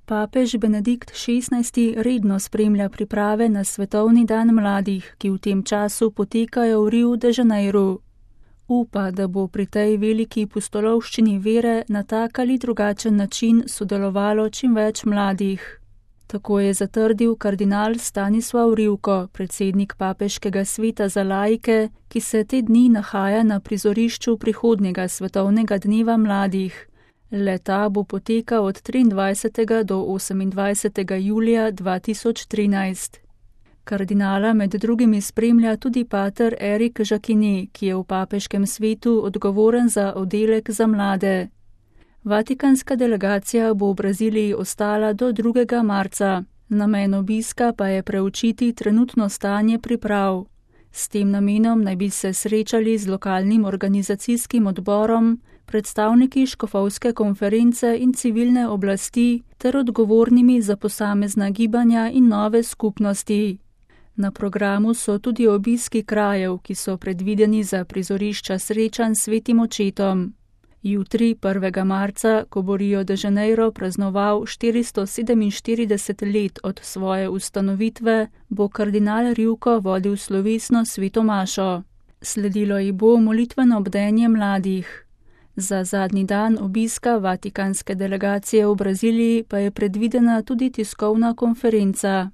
Papež Benedikt XVI redno spremlja priprave na Svetovni dan mladih, ki v tem času potekajo v Riu de Janeiru. Upa, da bo pri tej veliki pustolovščini vere na tak ali drugačen način sodelovalo čim več mladih. Tako je zatrdil kardinal Stanislav Rivko, predsednik Papeškega sveta za laike, ki se te dni nahaja na prizorišču prihodnjega svetovnega dneva mladih. Le-ta bo potekal od 23. do 28. julija 2013. Kardinala med drugimi spremlja tudi pater Erik Jacquinet, ki je v papeškem svetu odgovoren za oddelek za mlade. Vatikanska delegacija bo v Braziliji ostala do 2. marca. Namen obiska pa je preučiti trenutno stanje priprav. S tem namenom naj bi se srečali z lokalnim organizacijskim odborom, predstavniki škofovske konference in civilne oblasti ter odgovornimi za posamezna gibanja in nove skupnosti. Na programu so tudi obiski krajev, ki so predvideni za prizorišča srečanj s Svetim očetom. Jutri, 1. marca, ko bo Rio de Janeiro praznoval 447 let od svoje ustanovitve, bo kardinal Rivko vodil slovesno sveto mašo. Sledilo ji bo molitveno bdenje mladih. Za zadnji dan obiska vatikanske delegacije v Braziliji pa je predvidena tudi tiskovna konferenca.